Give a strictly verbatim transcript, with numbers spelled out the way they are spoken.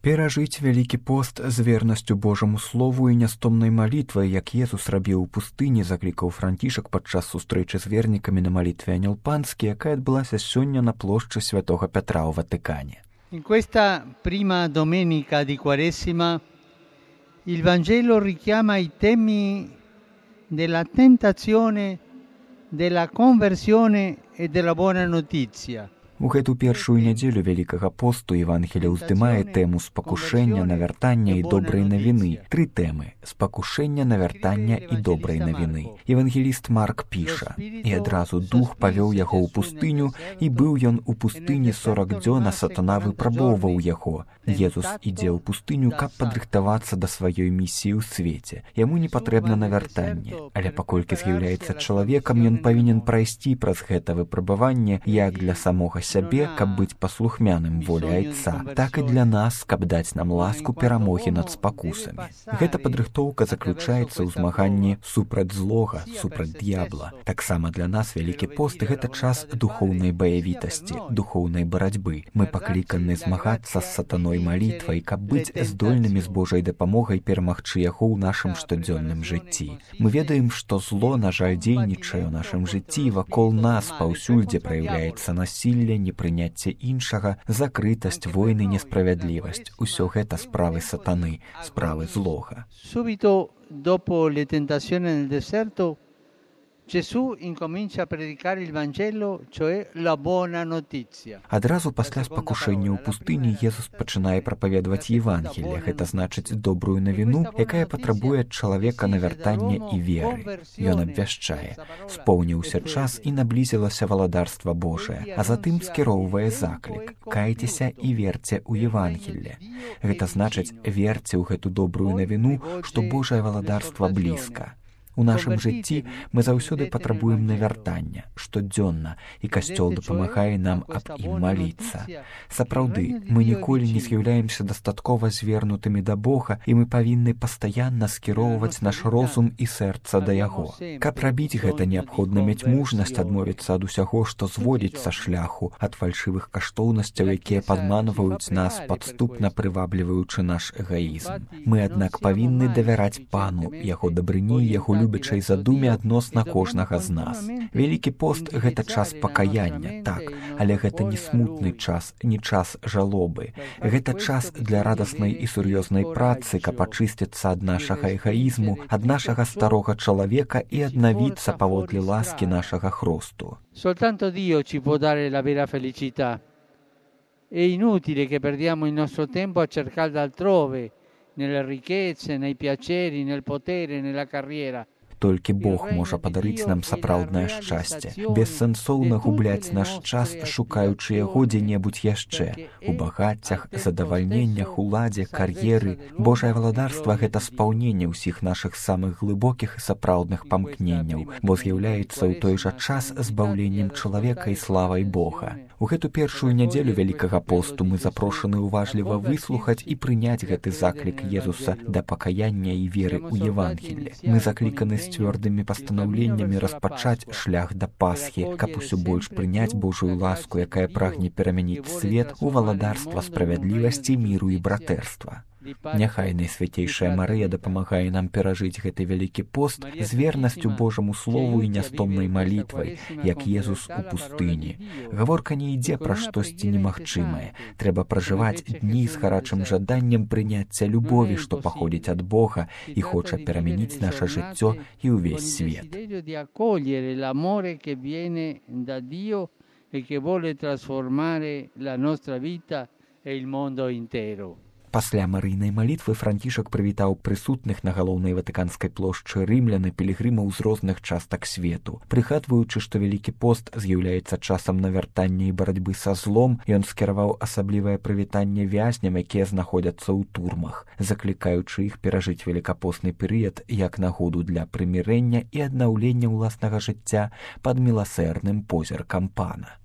Перажыць вялікі пост з вернасцю Божаму слову і нястомнай малітвай, як Езус рабіў у пустыні, заклікаў Францішак падчас сустрэчы з вернікамі на малітве Анёл Панскі, якая адбылася сёння на плошчы Святога Пятра ў Ватыкане. In questa prima domenica di Quaresima il Vangelo richiama i temi della tentazione, della conversione e della buona notizia. У гэту першую нядзелю Вялікага посту Евангелие уздымае тэму спакушэння, навяртання і добрай навіны. Тры тэмы: спакушэння, навяртання і добрай навіны. Евангеліст Марк піша: «І адразу дух павёў яго ў пустыню, і быў ён у пустыні сорак дзён, а сатана выпрабоўваў яго». Езус ідзе ў пустыню, каб падрыхтавацца да сваёй місіі ў свеце. Яму не патрэбна навяртанне, але паколькі з'яўляецца чалавекам, ён павінен прайсці праз гэта выпрабаванне як для самога сябе, каб быць паслухмяным волі Айца, так і для нас, каб даць нам ласку перамогі над спакусамі. Гэта падрыхтоўка заключаецца ў змаганні супраць злога, супраць д'ябла. Таксама для нас Вялікі пост — гэта час духоўнай баявітасці, духоўнай барацьбы. Мы пакліканы змагацца з сатаной малітвай, каб быць здольнымі з Божай дапамогай перамагчы яго ў нашым штодзённым жыцці. Мы ведаем, што зло, на жаль, дзейнічае ў нашым жыцці, вакол нас паўсюль, дзе праяўляецца насілле, непрыняцце іншага, закрытасць, войны, несправядлівасць. Усё гэта справы сатаны, справы злога. Subito dopo le tentazioni nel deserto, Gesù incomincia a predicare il Vangelo, cioè la buona notizia. Адразу пасля спакушэння ў пустыні Езус пачынае прапаведаваць Евангелие, гэта значыць добрую навіну, якая патрабуе ад чалавека навяртання і веры. Ён абвяшчае: «Споўніўся час і наблізілася валадарства Божае», а затым скіроўвае заклік: «Кайцеся і верце ў Евангелие». Гэта значыць, верце ў гэту добрую навіну, што Божае валадарства блізка. У нашым жыцці мы заўсёды патрабуем навяртання, штодзённа, і Касцёл дапамагае нам аб ім маліцца. Сапраўды, мы ніколі не з'яўляемся дастаткова звернутымі да Бога, і мы павінны пастаянна скіроўваць наш розум і сэрца да Яго. Каб рабіць гэта, неабходна мець мужнасць адмовіцца ад усяго, што зводзіць са шляху, ад фальшывых каштоўнасцяў, якія падманваюць нас, падступна прывабліваючы наш эгаізм. Мы, аднак, павінны давяраць Пану, Яго дабрыні, Яго любячай задуме адносна кожнага з нас. Вялікі пост — гэта час пакаяння, так, але гэта не смутны час, не час жалобы. Гэта час для радаснай і сур'ёзнай працы, каб ачысціцца ад нашага эгаізму, ад нашага старога чалавека і аднавіцца паводле ласкі нашага хросту. Soltanto Dio ci può dare la vera felicità. È inutile che perdiamo il nostro tempo a cercarla altrove, nelle ricchezze, nei piaceri, nel potere, nella carriera. Толькі Бог можа падарыць нам сапраўднае шчасце. Бессэнсоўна губляць наш час, шукаючы яго дзе-небудзь яшчэ. У багаццях, задавальненнях, уладзе, кар'еры. Божае валадарства — гэта спаўненне ўсіх нашых самых глыбокіх і сапраўдных памкненняў, бо з'яўляецца ў той жа час збаўленнем чалавека і славай Бога. У гэту першую нядзелю Вялікага посту мы запрошаны уважліва выслухаць і прыняць гэты заклік Езуса да пакаяння і веры ў Евангелие. Мы закліканы з цвёрдымі пастанаўленнямі распачаць шлях да Пасхі, каб усё больш прыняць Божую ласку, якая прагне перамяніць свет у валадарства справядлівасці, міру і братэрства. Няхай Найсвяцейшая Марыя дапамагае нам перажыць гэты Вялікі пост з вернасцю Божаму слову і нястомнай малітвай, як Езус у пустыні. Гаворка не ідзе пра штосьці немагчымае. Трэба пражываць дні з гарачым жаданнем прыняцця любові, што паходзіць ад Бога і хоча перамяніць наша жыццё і ўвесь свет. Пасля марыйнай малітвы Францішак прывітаў прысутных на галоўнай ватыканскай плошчы рымлян і пілігрымаў з розных частак свету. Прыгадваючы, што Вялікі пост з'яўляецца часам навяртання і барацьбы са злом, ён скіраваў асаблівае прывітанне вязням, якія знаходзяцца ў турмах, заклікаючы іх перажыць велікапостны перыяд як нагоду для прымірэння і аднаўлення ўласнага жыцця пад міласэрным позіркам Пана.